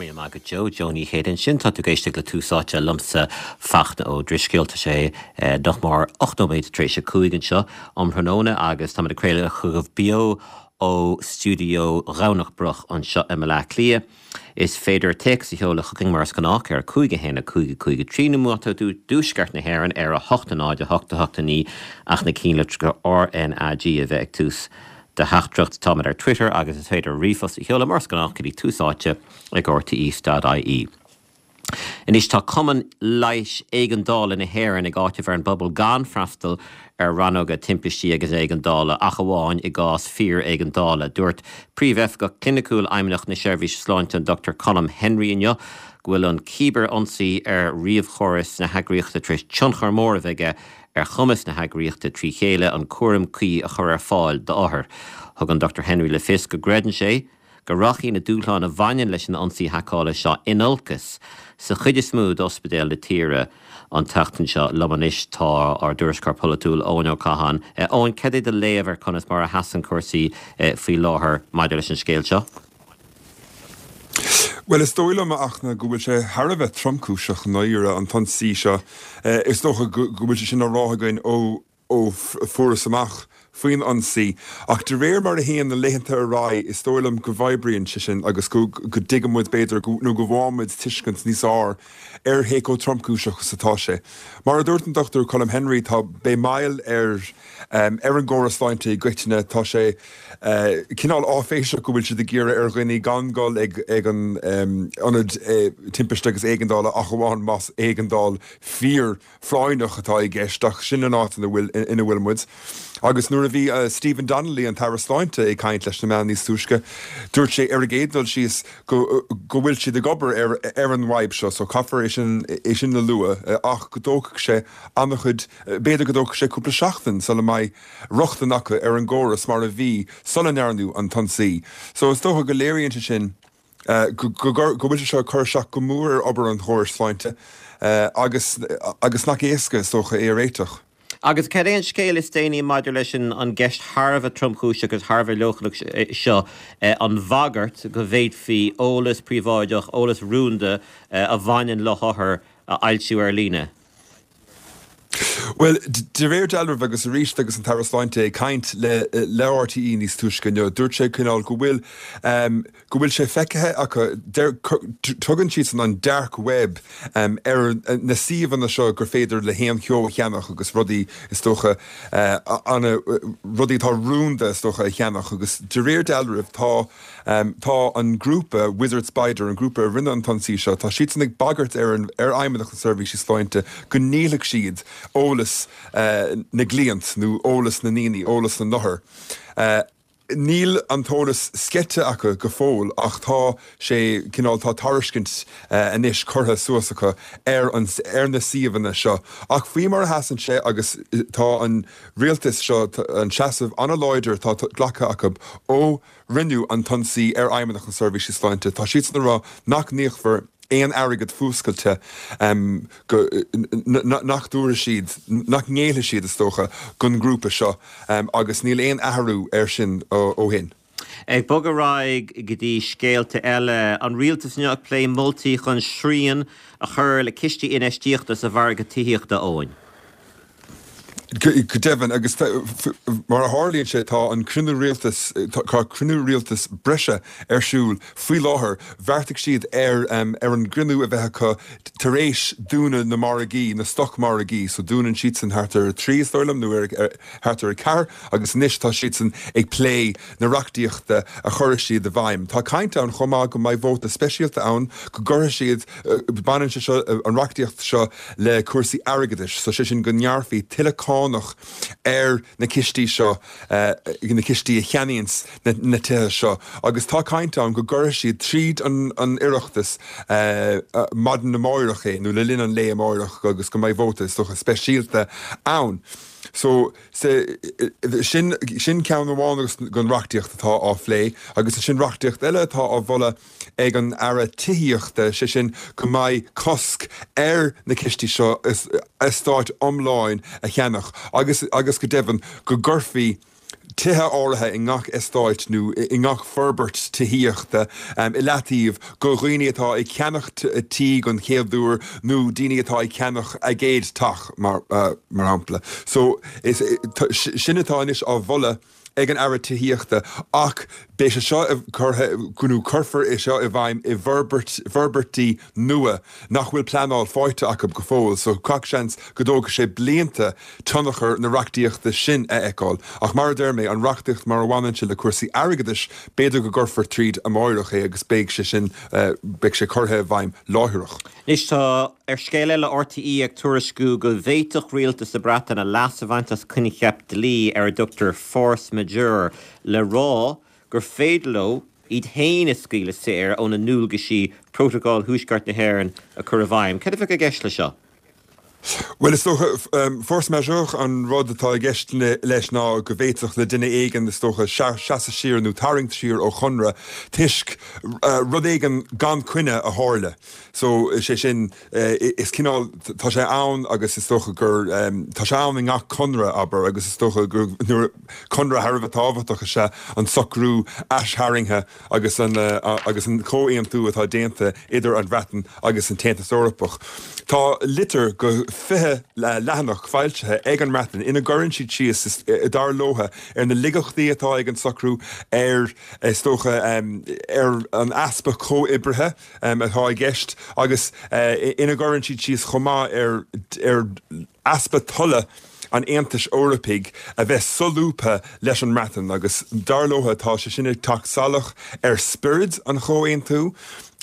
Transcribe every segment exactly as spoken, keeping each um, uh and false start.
Míle maith agat Joe, Joe Ní Chéide ansin tá tú ag éisteacht le Tús Áite liomsa Fachtna Ó Drisceoil tá sé nach mór ocht nóiméad tar éis a cúig anseo um thráthnóna agus tá ag craoladh chugaibh beo ó stiúideo Dhomhnach Broc anseo i mBaile Átha Cliath. Is féidir téacs a sheoladh chugainn mar is gnách ar cúig a haon a cúig a cúig a trí nó má tá tú i dtuaisceart na hÉireann ar a hocht a náid a hocht a hocht a naoi ach na ceannlitreacha RNAG a bheith ag tús do theachtaireacht táimid ar Twitter agus is féidir ríomhphost a sheoladh mar is gnách go dtí tús áite ag RTE.ie. Anois tá Cumann Leighis Éigeandála na hÉireann ag áiteamh ar an bpobal gan freastal ar rannóga timpistí agus éigeandála ach amháin i gcás fíor-éigeandála. Dúirt Príomhoifigeach Cliniciúil Fheidhmeannacht na Seirbhíse Sláinte an Dr Colm Henry inniu go bhfuil an cibirionsaí ar ríomhchóras na heagraíochta tar éis tionchar mór a bheith aige ar chumas na heagraíochta trí chéile an cúram cuí a chur ar fáil d'othair. Thug an Dr Henry le fios go gcreideann sé go rachaidh na dúshláin a bhaineann leis an ionsaí haiceála seo in olcas sa chuid is mó d'ospidéil na tíre an tseachtain seo liom anois tá ár dtuairisceoir polaitiúil Eoin Ó Catháin. Eoin cad é do léamh ar conas mar a sheasann cúrsaí faoi láthair maidir leis an scéal seo. Well is dóigh liom a Fhachtna go bhfuil sé thar a bheith tromchúiseach náire an t-ionsaí seo is dócha go bhfuil sé sin á rá againn ó ó fuarthas amach faoin ionsaí ach de réir mar a théann na laethanta ar aghaidh is dóigh liom go bhfoirfeann sé sin agus go go dtuigeann muid b'fhéidir nó go bhfaighimid tuiscint níos fearr ar cé chomh tromchúiseach is atá sé. Mar a dúirt an Dr Colm Henry tá beidh moill ar um, ar an gcóras sláinte i gcoitinne tá sé uh, cineál áiféiseach go bhfuil siad ag iarraidh ar dhaoine gan dul ag ag an um, ionad uh, timpiste agus éigeandála ach amháin más éigeandáil fíor phráinneach atá i gceist ach sin an áit ina bhfuil ina bhfuil muid. Agus nuair a bhí uh, Stephen Donnelly an tAire Sláinte ag caint leis na meáin níos túisce, dúirt sé ar an gcéad dul síos go, go bhfuil siad ag obair ar, ar an bhfadhb seo, so caithfear é sin é sin a lua ach go dtógfaidh sé an-chuid b'fhéidir go dtógfaidh sé cúpla seachtain sula mbeidh rochtain acu ar an gcóras mar a bhí sula ndearnadh an t-ionsaí. So is dócha go léiríonn sé sin uh, go bhfuil sé seo cur isteach go mór ar obair an chórais sláinte uh, agus, agus nach éasca is dócha é a réiteach. Agus cad é an scéal is déanaí maidir leis an an gceist thar a bheith tromchúiseach agus thar a bheith leochaileach seo an bhagairt go bhféadfaí eolas príobháideach, eolas rúnda a bhaineann le hothair a fhoilsiú ar líne. Well de réir dealraimh agus arís agus an tAire Sláinte ag caint le le RTE níos túisce inniu dúirt sé cineál go bhfuil um, go bhfuil sé feicthe acu tugann siad an dark web um, ar na suíomhanna seo gur féidir le haon cheo a cheannach agus rudaí is dócha uh, anna rudaí atá rúnda is dócha a cheannach agus de réir dealraimh tá um, tá an grúpa Wizard Spider an grúpa a rinne an t-ionsaí seo tá siad ag bagairt ar an ar Fheidhmeannacht na Seirbhíse Sláinte go ndíolfaidh siad eolas uh, na gcliant nó eolas na ndaoine eolas na n-othar. Uh, Níl an t-eolas sceite acu go fóill ach tá sé cineál tá tairiscint uh, anois curtha suas acu ar an ar na suíomhanna seo. Ach faoi mar a sheasann sé agus tá an rialtas seo an seasamh an-láidir tá glactha acu ó rinneadh an t-ionsaí ar Fheidhmeannacht na Seirbhíse Sláinte tá siad ag rá nach ndíolfar aon airgead fuascailte um, go, nach dtabharfaidh siad nach ngéillfidh siad is dócha don ghrúpa seo um, agus níl aon athrú ar sin ó, ó shin. Ag bogadh ar aghaidh go dtí scéalta eile an rialtas inniu ag plé moltaí chun srian a chur le cistí infheistíochta sa mhargadh tithíochta Eoin. Go deimhin agus mar a tharlaíonn sé tá an cruinniú rialtais tá cruinniú rialtais breise ar siúl faoi láthair bheartaigh siad ar um, ar an gcruinniú a bheith acu tar éis dúnadh na margaí na stocmhargaí so dúnann siad san thart ar trí is dóigh liom nó ar thart ar ceathair agus anois tá siad san ag plé na reachtaíochta a chuirfidh siad i bhfeidhm. Tá caint ann chomh maith go mbeidh vóta speisialta ann go gcuirfidh siad baineann sé seo an reachtaíocht seo le cúrsaí airgeadais, so sé sin go ngearrfaí tuilleadh cánach ar na cistí seo uh, na cistí a cheannaíonn na, na tithe seo agus tá caint ann go gcuirfidh siad tríd an, an Oireachtas uh, uh, maidin amárach é nó le linn an lae amárach agus go mbeidh vóta socha speisialta ann. So se, sin, sin ceann amháin agus den reachtaíocht atá á phlé, agus sin reachtaíocht eile atá á mholadh ag an aire tithíochta sé sin go mbeidh cosc ar na cistí seo eastáit iomláin a cheannach agus agus go deimhin go gcuirfí tithe áirithe i ngach eastát nó i ngach forbairt tithíochta i leataobh go dhaoine atá ag ceannach tí don chéad uair nó daoine atá ag ceannach a gcéad teach mar mar shampla. So is sin atá anois á mholadh ag an Aire Tithíochta ach beidh sé seo curtha nó cuirfear é seo i bhfeidhm i bhforbairt forbairtí nua nach bhfuil pleanáil faighte acu go fóill so gach seans go dtógfaidh sé blianta tionchar na reachtaíochta sin a fheiceáil. Ach mar a deir mé an reachtaíocht mar a bhaineann sé le cúrsaí airgeadais b'fhéidir go gcuirfear tríd amárach é agus beidh sé sin beidh sé curtha i bhfeidhm láithreach. Anois tá ar scéal eile RTÉ ag tuairisciú go bhféadfadh rialtas na Breataine leas a bhaint as coincheap dlí ar a dtugtar force majeure le rá gur féidir leo iad féin a scaoileadh saor óna ndualgaisí Prótacal Thuaisceart na hÉireann a chur i bhfeidhm. Cad a bheadh i gceist le seo? Well is dócha force majeure an rud atá i gceist leis ná go bhféadfadh le duine éigin is dócha seasamh siar nó tarraingt siar ó chonradh toisc rud éigin gan coinne a tharla. So is é sin is cineál tá sé ann agus is dócha gur tá sé ann i ngach conradh abair agus is dócha gur nuair conradh thar a bheith tábhachtach is ea an socrú aistharraingthe agus an agus an comhaontú atá déanta idir an Bhreatain agus an tAontas Eorpach. Tá litir go fiche leathanach foilsithe ag an mBreatain ina gcuireann siad síos dar leo ar na laigeachtaí atá ag an socrú ar is dócha ar an easpa comhoibrithe atá i gceist agus ina gcuireann siad síos chomh maith ar ar easpa tola an Aontais Eorpaigh a bheith solúbtha leis an mBreatain agus dar leo tá sé sin ag teacht salach ar spiorad an chomhaontú.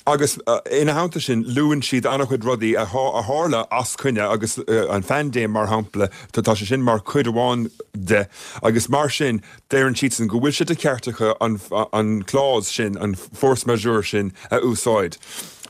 Agus ina theannta sin, luann siad an-chuid rudaí a tharla as coinne agus an phaindéim mar shampla, tá sé sin mar chuid amháin de agus mar sin deireann siadsan go bhfuil sé de cheart acu an clause sin, an force majeure sin a úsáid.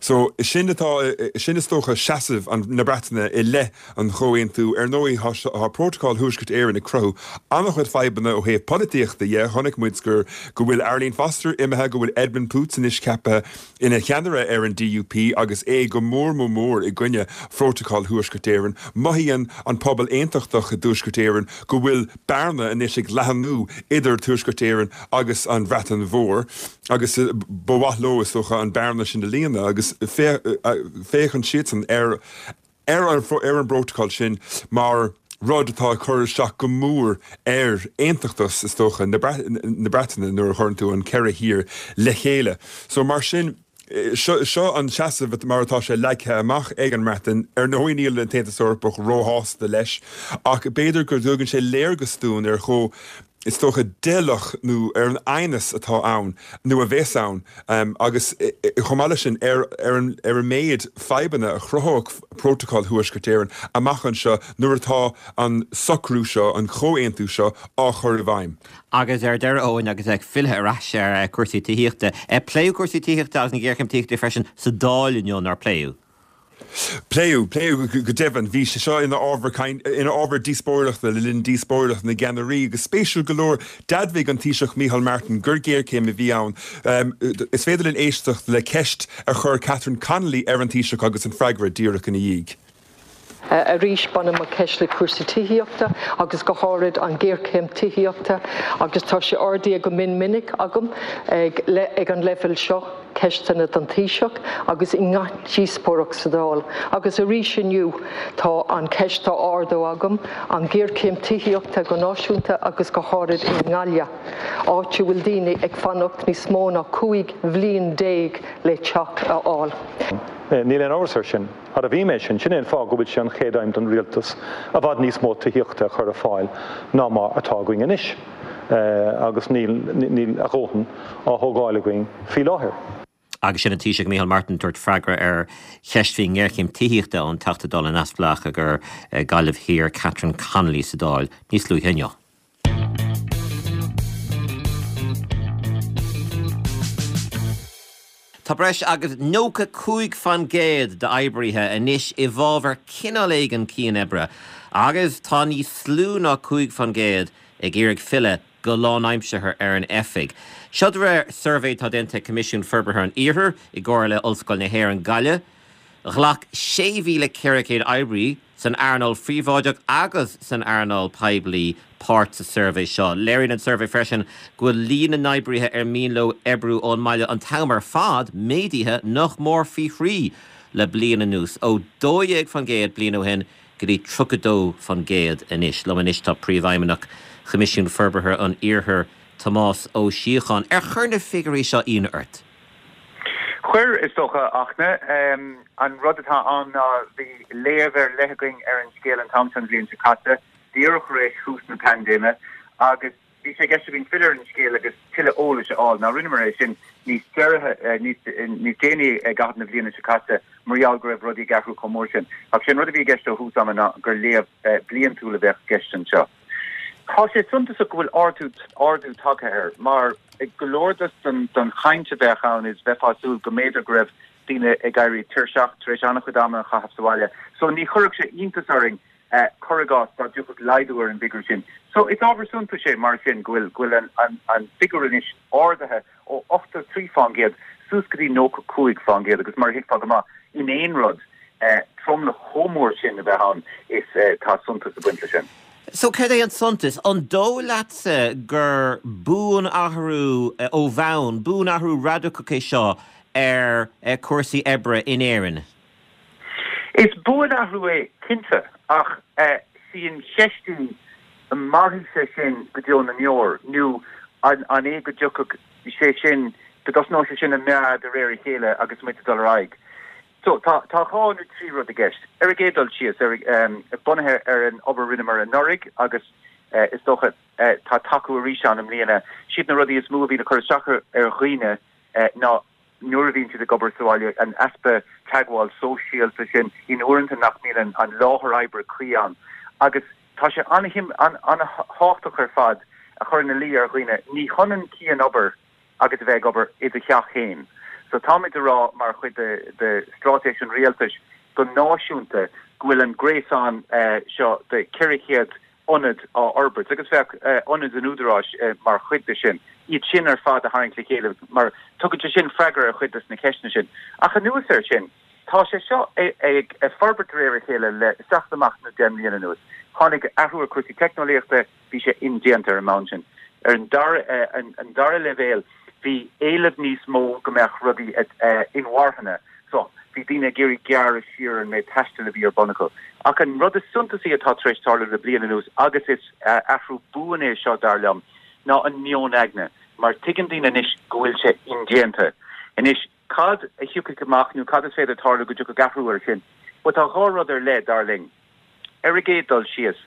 So sin atá, sin is dócha seasamh na Breataine i leith an chomhaontú. Ar ndóigh tá Prótacal Thuaisceart Éireann ag cruthú an-chuid fadhbanna ó thaobh polaitíochta dhe. Chonaic muid gur go bhfuil Arlene Foster imithe, go bhfuil Edwin Poots anois ceaptha ina cheannaire ar an DUP agus é go mór mór mór i gcoinne Phrótacal Thuaisceart Éireann. Mothaíonn an pobal aontachtach i dTuaisceart Éireann go bhfuil bearna anois ag leathnú idir Tuaisceart Éireann agus an Bhreatain Mhór agus ba mhaith leo is dócha an bearna sin a líonadh agus féachann siadsan ar ar an ar an bprótacal sin mar rud atá ag cur isteach go mór ar aontachtas is dócha na Breataine nuair a chuireann tú an ceithre thír le chéile. So mar sin seo seo an seasamh mar atá sé leagtha amach ag an mBreatain. Ar ndóigh níl an tAontas Eorpach róshásta leis ach b'fhéidir go dtugann sé léargas dúinn ar chomh is dócha doicheallach nó ar an aighneas atá ann nó a bheas ann agus chomh maith leis sin ar ar an ar an méid fadhbanna a chruthódh Prótacal Thuaisceart Éireann amach anseo nuair atá an socrú seo, an comhaontú seo á chur i bhfeidhm. Agus ar deireadh Eoin agus ag filleadh ar ais ar cúrsaí tithíochta, pléadh cúrsaí tithíochta agus an ghéarchéim tithíochta freisin sa Dáil inniu, nár pléadh? Pléadh, pléadh go deimhin. Bhí sé seo ina ábhar ina ábhar díospóireachta le linn díospóireacht na gceannairí agus spéisiúil go leor, d'admhaigh an Taoiseach Micheál Martin gur géarchéim a bhí ann. Is féidir linn éisteacht le ceist a chuir Catherine Connolly ar an Taoiseach agus an freagra díreach ina dhiaidh. Arís, baineann mo cheist le cúrsaí tithíochta agus go háirid an ghéarchéim tithíochta agus tá sé ardaithe go mion minic agam ag ag an leibhéal seo, ceisteanna don Taoiseach agus i ngach díospóireacht sa Dáil. Agus arís inniu tá an cheist á ardú agam, an ghéarchéim tithíochta go náisiúnta agus go háirid i nGaillimh, áit a bhfuil daoine ag fanacht níos mó ná cúig bhliain déag le teach a fháil. Níl aon amhras air sin. Admhaím é sin. Sin é an fáth go bhfuil sé an chéad aidhm don Rialtas i bhfad níos mó tithíochta a chur ar fáil ná mar atá againn anois agus níl níl a dhóthain á thógáil againn faoi láthair. Agus sin an Taoiseach Micheál Martin ag tabhairt freagra ar cheist faoin ngéarchéim tithíochta ón Teachta Dála neamhspleách do Ghaillimh Thiar Catherine Connolly sa Dáil níos luaithe inniu. Tá breis agus nócha cúig faoin gcéad d'oibrithe anois i bhfabhar cineál éigin cian-oibre agus tá níos lú ná cúig faoin gcéad ag iarraidh filleadh go lánaimseartha ar an oifig. Seo de réir suirbhé atá déanta ag Coimisiún Forbartha an Iarthair i gcomhar le Ollscoil na hÉireann Gaillimh. Ghlac sé mhíle ceithre chéad oibrí san earnáil phríobháideach agus san earnáil poiblí páirt sa suirbhé seo. Léiríonn an suirbhé freisin go bhfuil líon na n-oibrithe ar mian leo oibriú ón mbaile an t-am ar fad méadaithe nach mór faoi thrí le bliain anuas, ó dó dhéag faoin gcéad bliain ó shin go dtí tríocha dó faoin gcéad anois. Liom anois tá Príomhfheidhmeannach Choimisiún Forbartha an Iarthair, Tomás Ó Síocháin. Ar chuir na figiúirí seo ionadh ort? Chuir, is dócha, Fhachtna. An rud atá ann ná bhí léamh ar leith againn ar an scéal an t-am seo an bhliain seo caite, díreach tar éis thús na paindéime, agus bhí sé i gceist againn filleadh ar an scéal agus tuilleadh eolais a fháil. Now rinneamar é sin níos deireadh, níos déanaí i gcaitheamh na bliana seo caite mar gheall go raibh rudaí ag athrú chomh mór sin. Ach sé an rud a bhí i gceist ó thús ama ná gur léamh bliantúil a bheadh i gceist anseo. Tá sé suntasach go bhfuil ardú ardú tagtha air mar go leor den den chaint a bheadh ann is bheifeá ag súil go mb'fhéidir go raibh daoine ag éirí tuirseach tar éis an-chuid ama a chaitheamh sa bhaile. So ní chuirfeadh sé iontas orainn cuir i gcás dá dtiocfadh laghdú ar an bhfigiúr sin. So is ábhar suntais é mar sin go bhfuil go bhfuil an an an figiúr anois ardaithe ó ochtó trí faoin gcéad suas go dtí nócha cúig faoin gcéad agus mar a thuigfeá go maith in aon rud tromlach chomh mór sin a bheith ann is tá suntas ag baint leis sin. So céard é an suntas? An dóigh leatsa gur buanathrú ó bhonn, buanathrú radacach é seo ar chúrsaí oibre in Éirinn? Is buanathrú é cinnte ach sí an cheist í an mairfidh sé sin go deo na ndeor nó an an é go dtiocfadh sé sin go dtosnóidh sé sin ag meath de réir a chéile agus muid ag dul ar aghaidh. So tá tá dhá nó trí rud i gceist. Ar an gcéad dul síos ar um, bunaithe ar an obair a rinneamar anuraidh agus uh, is dócha uh, tá tacú arís ann i mbliana. Siad na rudaí is mó a bhíonn ag cur isteach ar dhaoine uh, ná nuair a bhíonn siad ag obair sa bhaile an easpa teagmháil sóisialta sin in uaireanta nach mbíonn an láthair oibre cuí ann. Agus tá sé an-tábhachtach ar fad a chur ina luí ar dhaoine ní hionann cianobair agus a bheith ag obair i do theach féin. So táimid ag rá mar chuid de, de straitéis an rialtais go náisiúnta go bhfuil an gréasán uh, seo de ceithre chéad ionad á fhorbairt agus bheadh uh, ionaid an údaráis uh, mar chuid de sin. Iad sin ar fad a tharraingt le chéile mar tugann sé sin freagra ar chuid des na ceisteanna sin. Ach anuas air sin, tá sé seo ag ag forbairt réir a chéile le seacht amach nó deich mbliana anuas. Tháinig athrú ar chúrsaí teicneolaíochta bhí sé indéanta ar an mbonn sin. Ar an dara uh, an, an dara leibhéal bhí éileamh níos mó go mbeadh rudaí uh, inmharthana. So bhí daoine ag iarraidh gearradh siar an méid taistil a bhí ar bun acu. Ach an rud is suntasaí atá tar éis tarlú le bliain anuas agus is uh, athrú buan é seo dar liom ná an meon aigne, mar tuigeann daoine anois go bhfuil sé indéanta. Anois cad a thiocfaidh amach nó cad is féidir tarlú go dtiocfaidh athrú air sin, Well tá dhá rud ar leith dar linn. Ar an gcéad dul síos.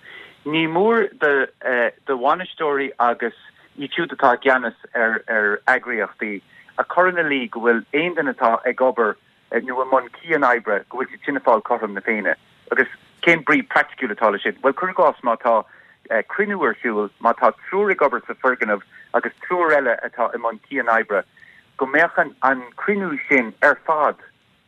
Ní mór de uh, de bhainisteoirí agus iad siúd atá i gceannas ar ar eagraíochtaí a chur ina luí go bhfuil aon duine atá ag obair nó i mbun cianoibre go bhfuil siad sin ag fáil cothrom na Féinne. Agus cén brí praiticiúil atá leis sin? Well cuir i gcás má tá uh, cruinniú ar siúl má tá triúr ag obair sa foirgneamh agus triúr eile atá i mbun cianoibre, go mbeadh an, an cruinniú sin ar fad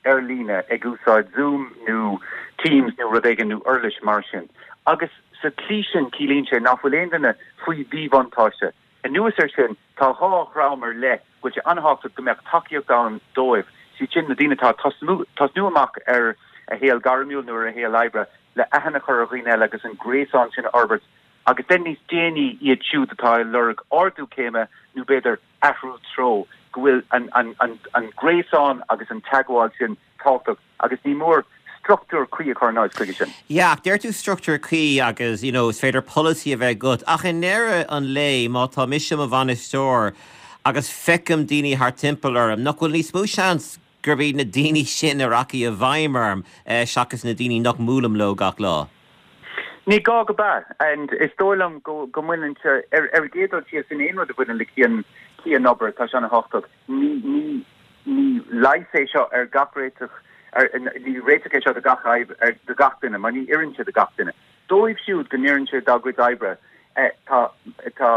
ar líne ag úsáid Zoom nó Teams nó rud éigin nó uirlis mar sin. Agus sa tslí sin ciallaíonn sé nach bhfuil aon duine faoi mhíbhuntáiste. Anuas air sin tá dhá dhream ar leith go bhfuil sé an-tábhachtach go mbeadh tacaíocht ann dóibh. Sí sin na daoine atá tosnú amach ar a shaol gairmiúil nó ar a shaol oibre le aithne a chur ar dhaoine eile agus an gréasán sin a fhorbairt agus den níos déanaí iad siúd atá ag lorg ardú céime nó b'fhéidir athrú treo go bhfuil an, an, an, an gréasán agus an teagmháil sin tábhachtach agus ní mór struchtúr cuí a chur in áit chuige sin. Yeah, deir tú struchtúr cuí agus you know, is féidir policy a bheith agat ach i ndeireadh an lae má tá mise i mo bhainisteoir agus feicim daoine thart timpeall orm, nach bhfuil níos mó seans gurb iad na daoine sin a rachaidh i bhfeidhm orm eh, seachas na daoine nach mbuailim leo gach lá. Ní gá go ba and is dóigh liom go go mbaineann sé ar ar an gcéad dul síos in aon rud a bhaineann le cian cianobair tá sé an-tábhachtach ní ní ní leigheas é seo ar gach réiteach ar ní réiteach é seo do gach fhadhb ar do gach duine mar ní oireann sé do gach duine. Dóibh siúd go n-oireann sé dá gcuid oibre eh, tá tá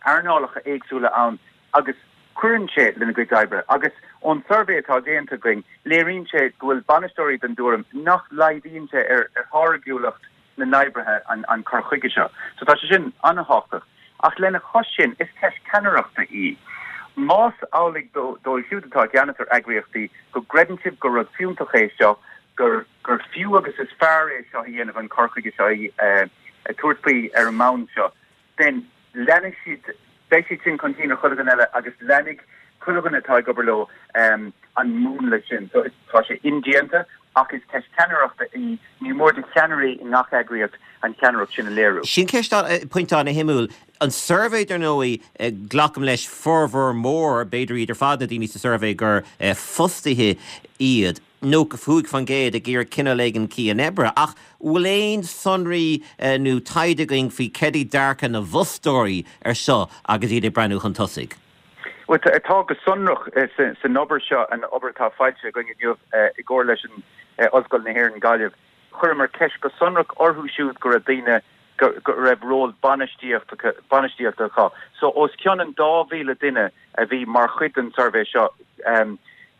earnálacha éagsúla ann agus cuireann sé lena gcuid oibre agus ón suirbhé atá déanta againn léiríonn sé go bhfuil bainisteoirí den tuairim nach laghdaíonn sé ar ar tháirgiúlacht na n-oibrithe an, an cur chuige seo. So tá sé sin an-tábhachtach. Ach lena chois sin is ceist ceannaireachta í. Más amhlaidh dóibh siúd atá i gceannas ar eagraíochtaí go gcreideann sibh gur rud fiúntach é seo, gur gur fiú agus is fearr é seo a dhéanamh an cur chuige seo a tabhairt faoi ar an mbonn seo, then leanfaidh siad, beidh siad sin chun cinn ar chuile dhuine eile agus leanfaidh chuile dhuine atá ag obair leo an múnla sin. So tá sé indéanta ach is ceist ceannaireachta í, ní mór do cheannairí i ngach eagraíocht an cheannaireacht sin a léiriú. Sin ceist, pointe an-shuimiúil. An suirbhé, dar ndóigh, glacaim leis formhór mór, b'fhéidir iad ar fad na daoine sa suirbhé gur fostaithe iad, nócha cúig faoin gcéad ag iarraidh cineál éigin cianoibre. Ach bhfuil aon sonraí nó taighde againn faoi cad é dearcadh na bhfostóirí ar seo agus iad ag breathnú chun tosaigh? Bhuel, tá go sonrach san obair seo, an obair atá foilsithe againn inniu i gcomhar leis an Ollscoil na hÉireann, Gaillimh, chuireamar ceist go sonrach orthu siúd go raibh daoine go raibh ról bainistíochta bainistíochta acu. So os cionn an dá mhíle duine a bhí mar chuid den suirbhé seo,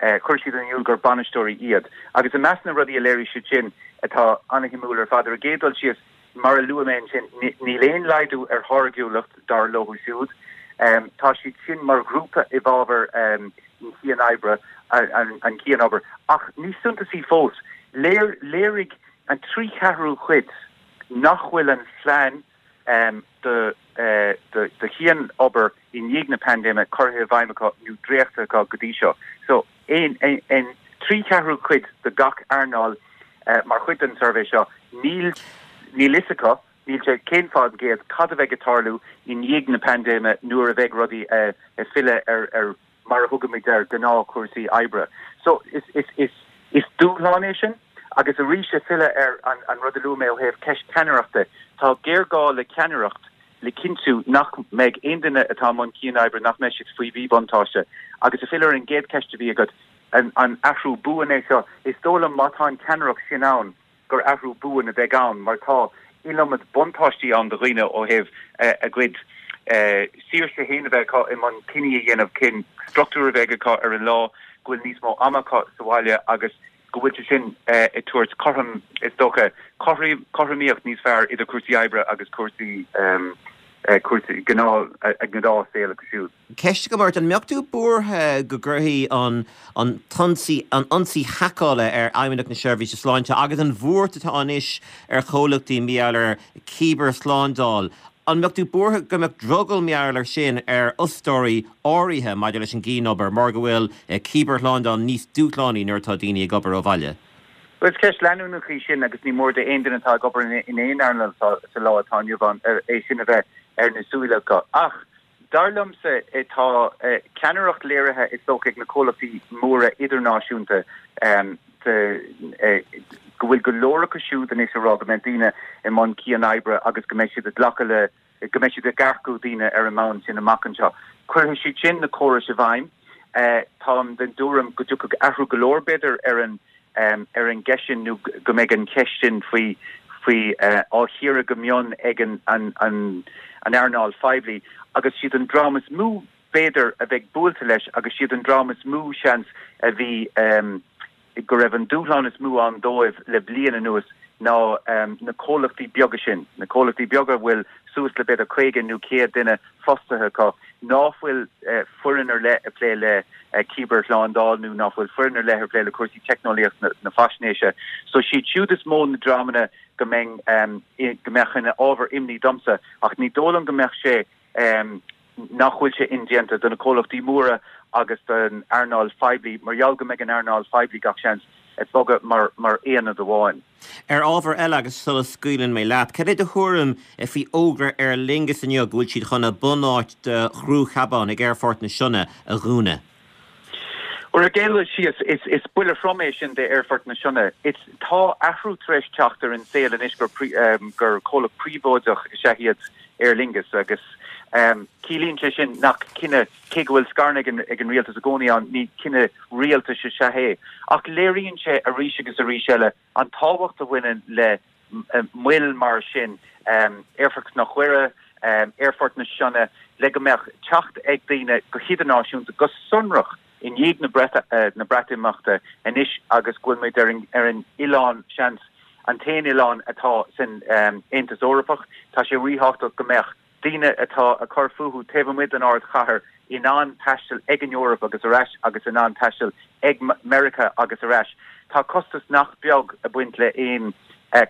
chuir siad in iúl gur bainisteoirí iad. Agus i measc na rudaí a léirigh siad sin atá an-shuimiúil ar fad, ar an gcéad dul síos, mar a luaigh mé ansin, níl aon laghdú ar tháirgiúlacht dar leo siúd. Tá siad sin mar ghrúpa i bhfabhar an chianoibre, an chianobair. Ach níos suntasaí fós, léirigh an trí cheathrú cuid nach bhfuil an phlean do do chianobair i ndiaidh na paindéime curtha i bhfeidhm acu nó dréachtaithe acu go dtí seo. So, aon aon trí cheathrú cuid de gach earnáil mar chuid den suirbhé seo, níl níl fhios acu, níl sé cén faoin gcéad, cad a bheidh ag tarlú i ndiaidh na paindéime nuair a bheidh rudaí ag filleadh ar ar mar a thugaimid ar gnáthchúrsaí oibre. So, is is is is dúshlán é sin. Agus arís ag filleadh ar an an rud a luaigh mé ó thaobh ceist ceannaireachta, tá géarghá le ceannaireacht le cinntiú nach mbeidh aon duine atá i mbun cianoibre, nach mbeidh siad faoi mhíbhuntáiste. Agus ag filleadh ar an gcéad cheist a bhí agat, an an athrú buan é seo? Is dóigh liom má tá an ceannaireacht sin ann gur athrú buan a bheidh ann mar tá iliomad buntáistí ann do dhaoine ó thaobh a gcuid saoirse féin a bheith acu i mbun cinní a dhéanamh cén struchtúr a bheidh acu ar an lá, go bhfuil níos mó ama acu sa bhaile agus go bhfuil sé sin ag tabhairt cothrom, is dócha, cothromaíocht níos fearr idir cúrsaí oibre agus cúrsaí cúrsaí gnáth a ngnáthshaol acu siúd. Ceist agam ort, an mbeadh tú buartha go gcuirfidh an an t-ionsaí an ionsaí haiceála ar Fheidhmeannacht na Seirbhíse Sláinte agus an bhuairt atá anois ar chomhlachtaí mar gheall ar cibearshlándáil, an mbeadh tú buartha go mbeadh drogall mar gheall air sin ar fhostóirí áirithe maidir leis an gcianobair mar go bhfuil cibearshlándáil níos dúshlánaí nuair atá daoine ag obair ó bhaile? Bhuel, is ceist leanúnach í sin agus ní mór d'aon duine atá ag obair in aon earnáil sa lá atá inniu ann é sin a bheith ar na súile acu. Ach dar liomsa tá ceannaireacht léirithe is dócha ag na comhlachtaí móra idirnáisiúnta go bhfuil go leor acu siúd anois ag rá go mbeidh daoine i mbun cianoibre agus go mbeidh siad ag glacadh le go mbeidh siad ag earcú daoine ar an mbonn sin amach anseo. Cuirfidh siad sin na córais i bhfeidhm. Táim den tuairim go dtiocfaidh athrú go leor b'fhéidir ar an ar an gceist sin nó go mbeidh an cheist sin faoi faoi á chíoradh go mion ag an an an an earnáil phoiblí agus siad an dream is mó b'fhéidir a bheidh buailte leis agus siad an dream is mó seans a bhí go raibh an dúshlán is mó ann dóibh le bliain anuas ná na comhlachtaí beaga sin, na comhlachtaí beaga a bhfuil suas le b'fhéidir caoga nó céad duine fostaithe acu, ná fuil foireann ar leith ag plé le cibearshlándáil nó ná fuil foireann ar leith ag plé le cúrsaí teicneolaíocht na faisnéise. So siad siúd is mó na dreamanna go mbeinn, go mbeadh ina ábhar imní domsa ach ní dóigh liom go mbeadh sé nach bhfuil sé indéanta do na comhlachtaí móra agus don earnáil phoiblí mar gheall go mbeidh an earnáil phoiblí gach seans ag bogadh mar mar aonad amháin. Ar ábhar eile agus sula scaoileann mé leat, cad é do thuairim faoi fhógra Aer Lingus inniu go bhfuil siad chun a bunáit do chriú ceabann ag Aerfort na Sionna a dhúnadh? Ar an gcéad dul síos, is is buille trom é sin d'Aerfort na Sionna. Is tá athrú tar éis teacht ar an saol anois gur gur comhlacht príobháideach is ea iad Aer Lingus agus ciallaíonn sé sin nach cinneadh, cé go bhfuil scaireanna ag an ag an rialtas i gcónaí ann, ní cinneadh rialtais is ea é. Ach léiríonn sé arís agus arís eile an tábhacht a bhaineann le moil mar sin, Aerfort Chnoc Mhuire, Aerfort na Sionna, le go mbeadh teacht ag daoine go hidirnáisiúnta, go sonrach i ndiaidh na Breatimeachta anois agus go bhfuil muid ar an ar an oileán, seans, an t-aon oileán atá san Aontas Eorpach. Tá sé ríthábhachtach go mbeadh daoine atá ag cur fúthu taobh amuigh den ardchathair in ann taisteal ag an Eoraip agus ar ais agus in ann taisteal ag Meiriceá agus ar ais. Tá costas nach beag ag baint le aon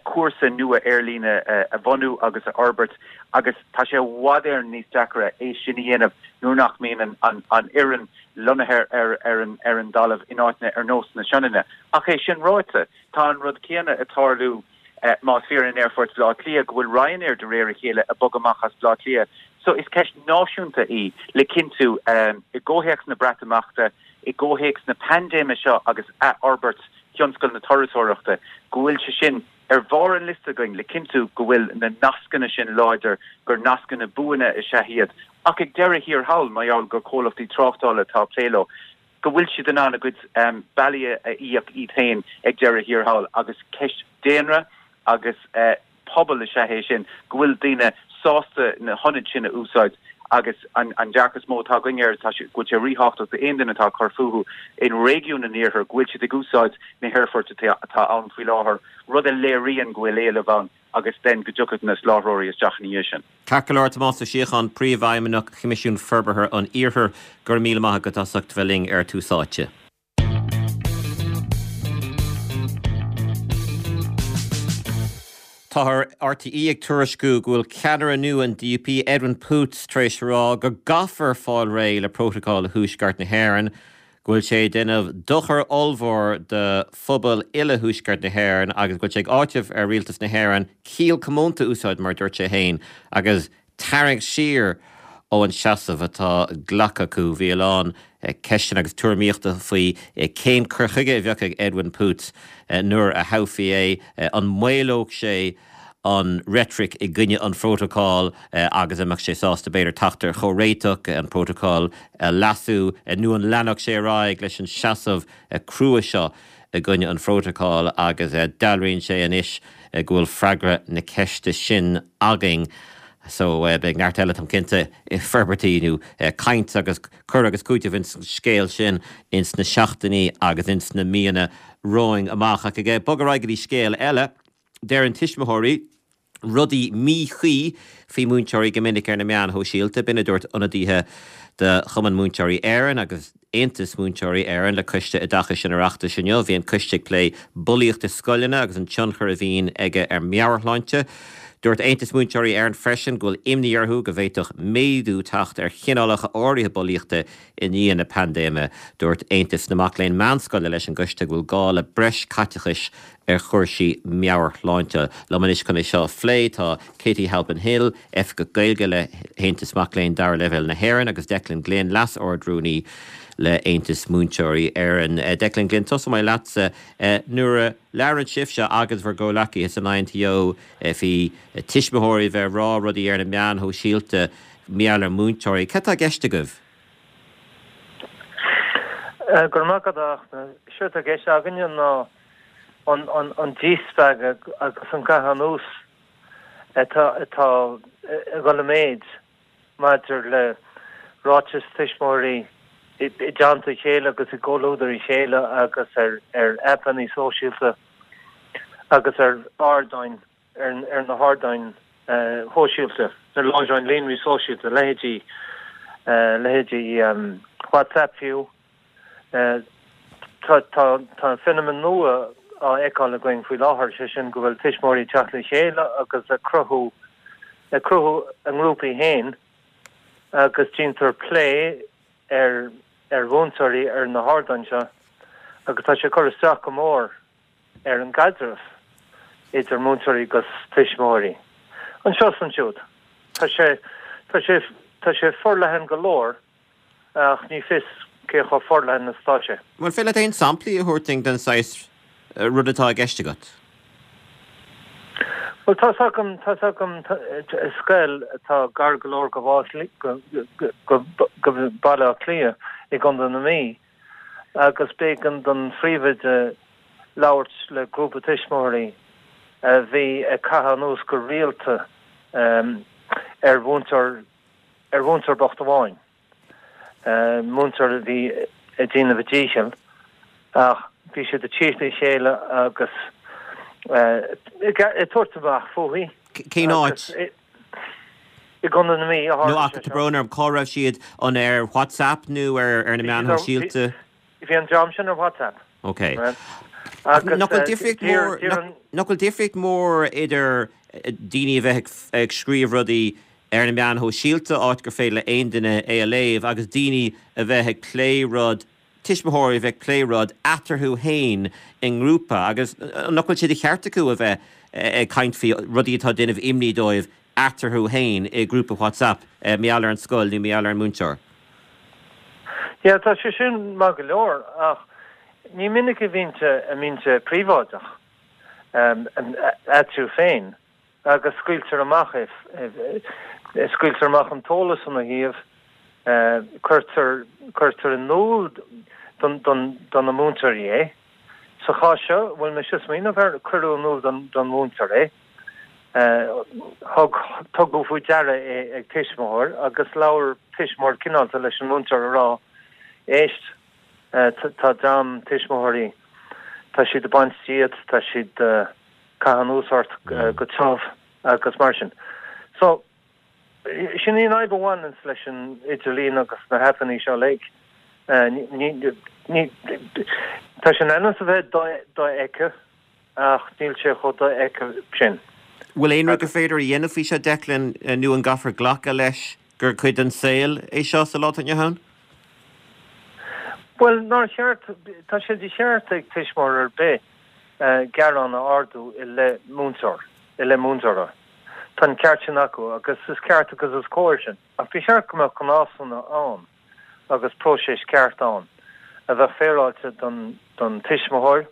cúrsa nua aerlíne a bhunú agus a fhorbairt agus tá sé i bhfad Éireann níos deacra é sin a dhéanamh nuair nach mbíonn an fhoireann lonnaithe ar ar an dtalamh in áiteanna ar nós na Sionainne. Ach é sin ráite, tá an rud céanna ag tarlú más fíor in Aerfort Bhaile Átha Cliath go bhfuil Ryanair de réir a chéile ag bogadh amach as Baile Átha Cliath. So is ceist náisiúnta í le cinntiú i gcomhthéacs na Breatimeachta, i gcomhthéacs na paindéime seo agus athfhorbairt thionscal na turasóireachta, go bhfuil sé sin ar bharr an liosta againn le cinntiú go bhfuil na nascanna sin láidir, gur nascanna buana is ea iad. Ach ag deireadh thiar thall, mar gheall gur comhlachtaí tráchtála atá ag plé leo, go bhfuil siad in ann a gcuid bealaí a íoc iad féin ag deireadh thiar thall agus ceist daonra agus pobal is ea é sin, go bhfuil daoine sásta na hionaid sin a úsáid agus an an dearcadh is mó atá againn air, tá sé, go bhfuil sé ríthábhachtach d'aon duine atá ag cur fúthu in réigiún an iarthair go bhfuil siad ag úsáid na haerfoirt atá ann faoi láthair, rud a léiríonn go bhfuil éileamh ann agus then go dtiocfaidh na soláthróirí isteach ina dhiaidh sin. Ceart go leor, Tomás Ó Síocháin, Príomhfheidhmeannach Choimisiún Forbartha an Iarthair, go raibh míle maith agat as ucht bheith linn ar Tús Áite. Tá RTÉ ag tuairisciú go bhfuil ceannaire nua an DUP, Edwin Poots, tar éis a rá go gcaithfear fáil réidh le Prótacal Thuaisceart na hÉireann, go bhfuil sé ag déanamh dochar ollmhór do phobal uile Thuaisceart na hÉireann agus go bhfuil sé ag áiteamh ar Rialtas na hÉireann ciall comónta a úsáid, mar a dúirt sé féin, agus tarraingt siar ó an seasamh atá glactha acu. Bhí a lán ceisteanna agus tuairimíochta faoi cén cur chuige a bheadh ag Edwin Poots nuair a thoghfaí é, an maolódh sé an reitric i gcoinne an phrótacail agus an mbeadh sé sásta b'fhéidir teacht ar chomhréiteach, an prótacal a leasú nó an leanfadh sé ar aghaidh leis an seasamh crua seo i gcoinne an phrótacail agus dealraíonn sé anois go bhfuil freagra na ceiste sin againn. So beidh neart eile, táim cinnte, forbairtí nó caint agus cur agus cúiteamh ins an scéal sin ins na seachtainí agus ins na míonna romhainn amach. Ach ag bogadh ar aghaidh go dtí scéal eile, deireann tuismitheoirí rudaí míchuí faoi mhúinteoirí go minic ar na meáin shóisialta. B'in a dúirt ionadaithe de Chumann Múinteoirí Éireann agus Aontas Múinteoirí Éireann le Coiste Oideachais an Oireachtais inniu. Bhí an coiste ag plé bulaíocht i scoileanna agus an tionchar a bhíonn aige ar meabhairshláinte. Dúirt Aontas Múinteoirí Éireann freisin go bhfuil imní orthu go bhféadfadh méadú teacht ar chineálacha áirithe bulaíochta i ndiaidh na paindéime. Dúirt Aontas na Mac Léinn Meánscoile leis an gcoiste go bhfuil gá le breis caiteachais ar chúrsaí meabhairshláinte. Liom anois chun é seo a phlé tá Katie Halpin-Hill, Oifigeach Gaeilge le hAontas Mac Léinn Dara Leibhéal na hÉireann agus Declan Glynn, Leas-Ard-Rúnaí le Aontas Múinteoirí Éireann. Declan Glynn, tosóidh mé leatsa. Nuair a labhrann sibhse agus bhur gcomhleacaithe san INTO faoi tuismitheoirí bheith ag rá rudaí ar na meáin shóisialta mar gheall ar mhúinteoirí, cad tá i gceist agaibh? Go raibh maith agat, a Fhachtna. Séard atá i gceist againne ná an díspeagadh agus an caitheamh anuas atá ag dul i méid maidir le ráitis tuismitheoirí i dteannta a chéile agus i gcomhluadar a chéile agus ar ar aipeanna sóisialta agus ar ardáin ar na hardáin shóisialta, ar láithreáin líonraí sóisialta, leithéidí leithéidí WhatsApp fiú. Tá tá feiniméan nua á fheiceáil againn faoi láthair, sé sin go bhfuil tuismitheoirí ag teacht le chéile agus ag cruthú ag cruthú a ngrúpaí féin agus déantar plé ar ar mhúinteoirí ar na hardáin seo agus tá sé ag cur isteach go mór ar an gcaidreamh idir múinteoirí agus tuismitheoirí. Anseo is ansiúd. Tá sé tá sé tá sé forleathan go leor ach ní fios cé chomh forleathan is atá sé. An féidir leat aon samplaí a thabhairt dúinn den saghas rud atá i gceist agat? Bhuel, tá's agam, tá's agam scoil atá gar go leor go go Baile Átha Cliath i gContae na Mí agus b'éigean don phríomhoide labhairt le grúpa tuismitheoirí a bhí ag caitheamh anuas go rialta ar mhúinteoir ar mhúinteoir bocht amháin. múinteoir a bhí ag déanamh a díchill ach bhí siad ag tíocht le chéile agus ag tabhairt amach fúithi. Cén áit? I gContae na Mí a tharla sé seo. Tá brón orm, cá raibh siad? An ar WhatsApp nó ar na meáin shóisialta? Bhí an dream sin ar WhatsApp. Ok. Agus nach bhfuil difríocht mhór nach bhfuil difríocht mhór idir daoine a bheith ag scríobh rudaí ar na meáin shóisialta áit gur féidir le aon duine é a léamh agus daoine a bheith ag plé rud, tuismitheoirí a bheith ag plé rud eatarthu féin i ngrúpa agus nach bhfuil sé de cheart acu a bheith ag caint faoi rudaí atá ag déanamh imní dóibh eatarthu féin i ngrúpa WhatsApp mar gheall ar an scoil nó mar gheall ar an múinteoir. Yeah, tá sé sin maith go leor ach ní minic a bhíonn sé a mbíonn sé príobháideach eatarthu féin agus scaoiltear amach é, scaoiltear amach an t-eolas ina thaobh, cuirtear, cuirtear in iúl don, don, do na múinteoirí é. Sa chás seo, bhfuil mise ag smaoineamh air, cuireadh in iúl don, don mhúinteoir é. Thug, tugadh faoi deara é ag tuismitheoir agus labhair tuismitheoir cineálta leis an múinteoir a rá, éist, tá dream tuismitheoirí, tá siad ag baint díot, tá siad ag caitheamh anuas ort go tiubh agus mar sin. So, sin í an fhadhb a bhaineanns leis an idirlíon agus na haipeanna seo uilig. Ní, ní, tá sé in ainm is a bheith dofheicthe ach níl sé chomh dofheicthe sin. Bhfuil aon rud gur féidir a dhéanamh faoi seo, Declan, nó an gcaithfear glacadh leis gur cuid den saol é seo sa lá atá inniu ann? Bhuel, nár cheart, tá sé de cheart ag tuismitheoir ar bith gearán a ardú i leith múinteoir, i leith múinteora. Tá an ceart sin acu agus is ceart agus is cóir sin. Ach ba cheart go mbeadh gnásanna ann agus próiseas ceart ann a bheadh féaráilte don, don tuismitheoir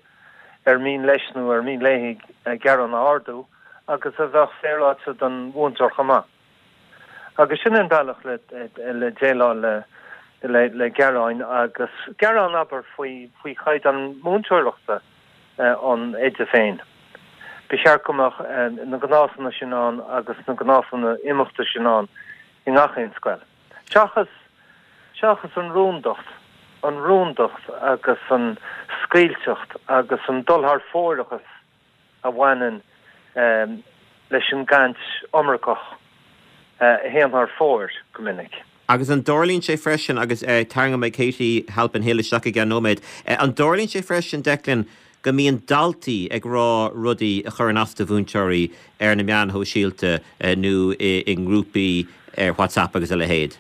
ar mian leis nó ar mian léi gearán a ardú agus a bheadh féaráilte don mhúinteoir chomh maith. Agus sin an bealach le, le déileáil le, le, le gearáin agus gearán abair faoi, faoi chaighdeán múinteoireachta an oide féin. Ba cheart go mbeadh na gnásanna sin ann agus na gnásanna imeachta sin ann i ngach aon scoil. Seachas, seachas an rúndacht, an rúndacht agus an scaoilteacht agus an dul thar fóireachas a bhaineann leis an gcaint iomarcach a théann thar fóir go minic. Agus an dtarlaíonn sé freisin, agus tarraingeoidh mé Katie Halpin-Hill isteach i gceann nóiméad, an dtarlaíonn sé freisin, Declan, go mbíonn daltaí ag rá rudaí a chuireann as do mhúinteoirí ar na meáin shóisialta nó i ngrúpaí ar WhatsApp agus a leithéid?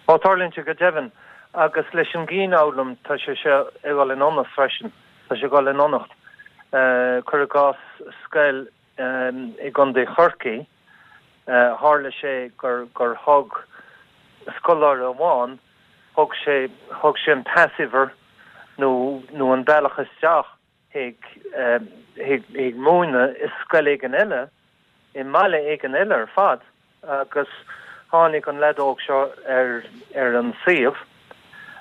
Ó, tarlaíonn sé go deimhin. Agus leis an gcianfhoghlaim tá sé seo ag dul in ionnas freisin, tá sé ag dul in ionnacht. Cuir i gcás scoil i gContae Chorcaí, tharla sé gur gur thug scoláire amháin, thug sé thug sé an pasuimhir nó nó an bealach isteach chuig chuig chuig múineadh i scoil éigin eile, i mbaile éigin eile ar fad agus tháinig an leaid óg seo ar ar an suíomh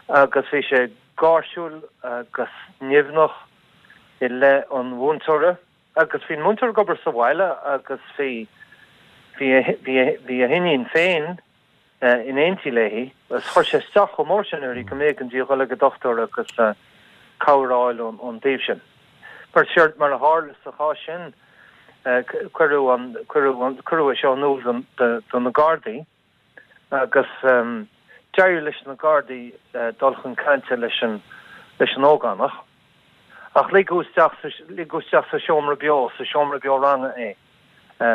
agus bhí sé gáirsiúil agus nimhneach i leith an mhúinteora agus bhí an múinteoir ag obair sa bhaile agus bhí bhí bhí bhí a hiníon féin in éindí léi agus chuir sé isteach chomh mór sin uirthi go mb'éigean di a dhul ag an dochtúir agus cabhair a fháil ón dtaobh sin. Mar séard mar a tharla sa chás sin, cuireadh an cuireadh an cuireadh é seo in iúl do na Gardaí agus d'éirigh leis na Gardaí dul chun cainte leis an leis an ógánach ach ligeadh isteach sa ligeadh isteach sa seomra beo sa seomra beo ranga é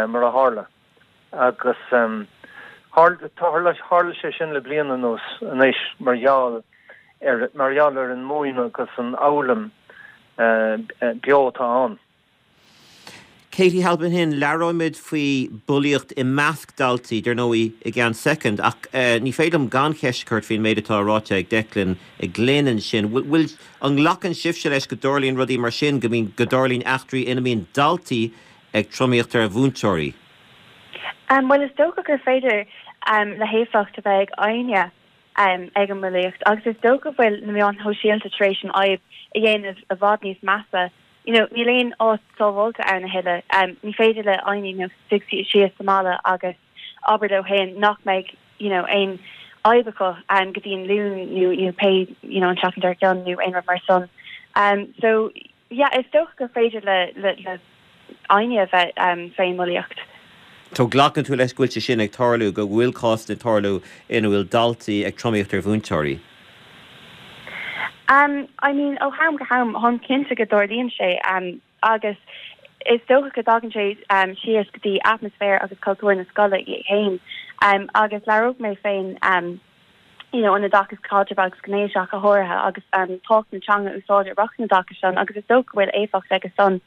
mar a tharla agus tharla tharla sé sin le bliain anuas anois mar gheall ar mar gheall ar an múineadh agus an fhoghlaim beo atá ann. Katie Halpin-Hill, labhróimid faoi bhulaíocht i measc daltaí, dar ndóigh, i gceann soicind, ach ní féidir liom gan cheist a chur faoin méid atá ráite ag Declan Glynn ansin. Bhfuil, an nglacann sibhse leis go dtarlaíonn rudaí mar sin, go mbíonn, go dtarlaíonn eachtraí ina mbíonn daltaí ag tromaíocht ar mhúinteoirí? Bhuel, is dócha gur féidir le héifeacht a bheith ag éinne ag an mbulaíocht agus is dócha go bhfuil na meáin shóisialta tar éis an fhadhb a dhéanamh i bhfad níos measa. You know, níl aon áit sábháilte ann a thuilleadh. Ní féidir le éinne you know, suí síos sa mbaile agus abair leo féin nach mbeidh you know, aon fhadhb acu um, go dtí an Luan nó you know, pé you know, an tseachtain dár gcionn nó aon rud mar san. Um, so yeah, is dócha gur féidir le, le, le éinne a bheith um, faoin mbulaíocht. So glacann tú leis go bhfuil sé sin ag tarlú, go bhfuil cásanna ag tarlú ina bhfuil daltaí ag tromaíocht ar mhúinteoirí? Um, I mean, ó ham go ham táim cinnte go dtarlaíonn sé um, agus is dócha go dtagann sé um, síos go dtí atmaisféar agus cultúr na scoile féin um, agus labhróidh mé féin um, you know, an oideachas caidrimh agus gnéis go háirithe agus um, tábhacht na teanga úsáide rith an oideachais san agus is dócha go bhfuil éifeacht aige san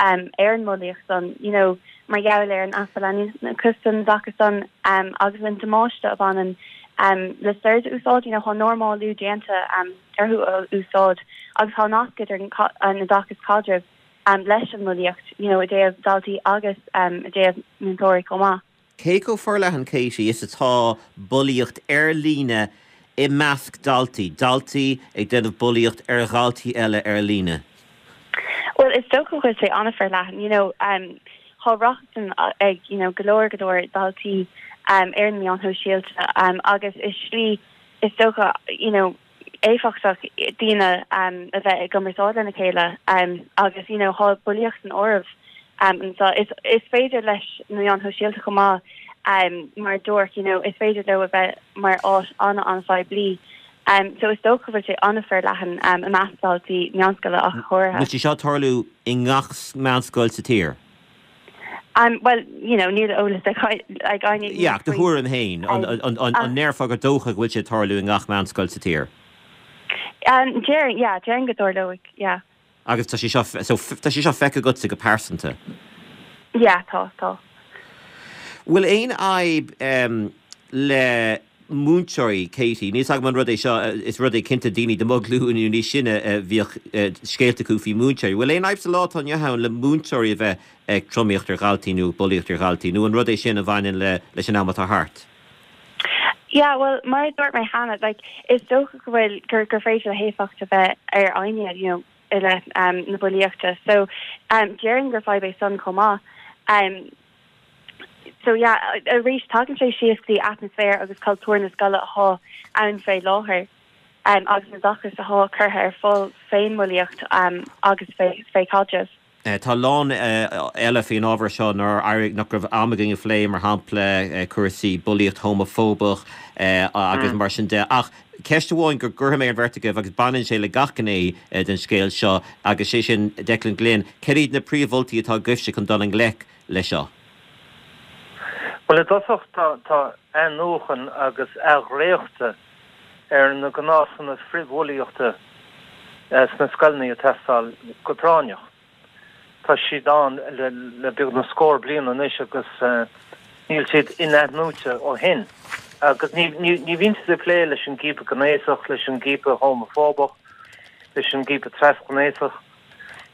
um, ar an mbulaíocht san you know, mar gheall ar an easpa leanúnachas san oideachas san um, agus an damáiste a bhaineann um, le slurs a úsáid you know, tá normalú déanta um, orthu a úsáid agus tá nasc idir an oideachas caidrimh um, leis an mbulaíocht you know, i dtaobh daltaí agus um, i dtaobh múinteoirí chomh maith. Cé chomh forleathan Katie is atá bulaíocht ar líne i measc daltaí, daltaí ag déanamh bulaíocht ar dhaltaí eile ar líne. Well is dócha go bhfuil sé an-fhorleathan, you know, um, tá rochtain ag you know, go leor go leor daltaí um, ar na meáin shóisialta um, agus is slí is dócha you know, éifeachtach daoine um, a bheith ag cumarsáid lena chéile um, agus you know, tá bulaíocht san áireamh um, so is, is féidir leis na meáin shóisialta chomh maith um, mar dúirt you know, is féidir leo a bheith mar áit an an-phoiblí. Um, so is dócha go bhfuil sé an-fhorleathan um, i measc daltaí meánscoile ach go háirithe. Bhfuil sé seo ag tarlú i ngach meánscoil sa tír? Um, well, you know, níl eolas ag aine. Yeah, do thuairim féin an ndéarfá gur dócha go bhfuil sé ag tarlú i ngach meánscoil sa tír. Um, déarfainn, yeah, déarfainn go dtarlóidh, yeah. Agus tá sé seo so tá sé seo feicthe agatsa go pearsanta. Yeah, tá tá. Bhfuil aon fhadhb um, le múinteoirí Katie, Níl agam an rud é seo is rud é cinnte daoine de mo ghlúin nó níos sine bhíodh scéalta acu faoi múinteoirí. Bhfuil aon fhadhb sa lá atá inniu ann le múinteoirí a bheith ag tromaíocht ar dhaltaí nó bulaíocht ar dhaltaí, nó an rud é sin a bhaineann le leis an am atá thart. Yeah, well mar dúirt mé cheana like is dócha go bhfuil gur gur féidir le héifeacht a bheith ar éinne you know, i leith um, na bulaíochta. So um, déarfainn gur fadhb é san chomh maith. Um, so yeah, arís tagann sé síos go dtí atmaisféar agus cultúr na scoile atá ann fé láthair. Um, agus an oideachas atá curtha ar fáil fén mbulaíocht um, agus fé, fé caidreamh. Eh, tá lán eh, eile faoin ábhar seo nár éirigh nach raibh am againn a phlé mar shampla eh, cúrsaí bulaíocht homafóbach agus mm. mar sin de ach ceist amháin go gcuirfidh mé ar an bheirt agaibh agus baineann sé le gach gné den scéal seo agus sé sin Declan Glynn, cad iad na príomh-mholtaí atá agaibhse chun dul i ngleic le seo. Well i dtosach tá tá athnuachan agus athdhréachtú ar na gnásanna frithbhulaíochta sna scoileanna ag teastáil go práinneach. Tá siad ann le, le beagnach scór bliain anois agus uh, níl siad in-athnuaite ó shin. Agus ní, ní, ní bhíonn siad ag plé leis an gciapadh gnéasach, leis an gciapadh homafóbach, leis an gciapadh trasghnéasach.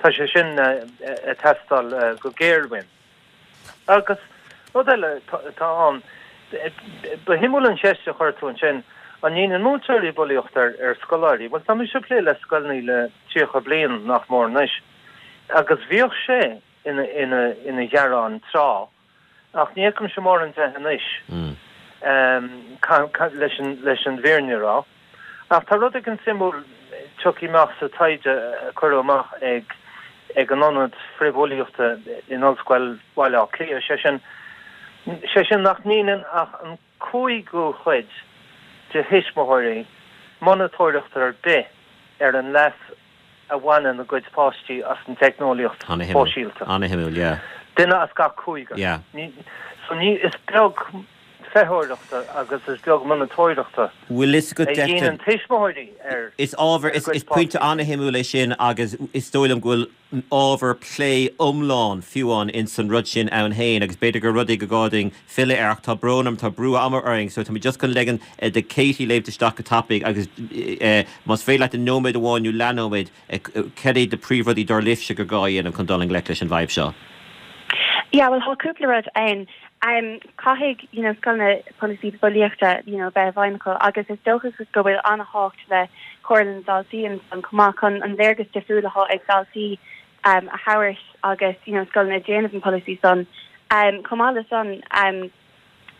Tá sé sin uh, ag teastáil uh, go géar uainn. Agus rud eile tá ann ba shuimiúil an cheist a chuir tú ansin an ndéanann múinteoirí bulaíocht ar ar scoláirí, Well tá mise ag plé le scoileanna le tríocha bliain nach mór anois. Agus bhíodh sé ina ina ina ghearán tráth ach ní fheicimse mórán de anois mm. um, leis an leis an bhfírinne a rá. Ach tá rud éigin suimiúil tagtha amach sa taighde a cuireadh amach ag ag an ionad frithbhulaíochta in Ollscoil Bhaile Átha Cliath sé sin sé sin nach ndéanann ach an cúigiú cuid de thuismitheoirí monatóireacht ar bith ar an leas a bhaineann a gcuid páistí as an teicneolaíocht shóisialta. An-shuimiúil, yeah. Duine as gach cúigear. Yeah. Ní, so ní is beag feitheoireachta agus is beag monatóireachta. Bhfuil is go a dhéanann tuismitheoirí ar Is ábhar is, is pointe an-shuimiúil é sin agus is dóigh liom go bhfuil ábhar plé iomlán fiú ann in san rud sin ann féin agus b'fhéidir gur rud é gur gá dúinn filleadh air ach tá brón orm tá brú ama orainn so tá mé just chun ligean eh, do Katie léimt isteach go tapaidh agus eh, más féidir leat i nóiméad amháin nó leathnóiméad eh, cad iad na príomhrudaí dar libhse gur gá a dhéanamh chun dul i ngleic leis an bhfadhb seo. Yeah, well tá cúpla rud ann. Um, caithfidh you know, scoileanna polasaí bulaíochta you know, bheith i bhfeidhm acu agus is dócha go bhfuil an-tábhacht le comhairle na ndaltaí an an chomh maith chun an léargas difriúil atá ag daltaí um, a thabhairt agus you know, scoileanna ag déanamh an polasaí san. Um, chomh maith le san um,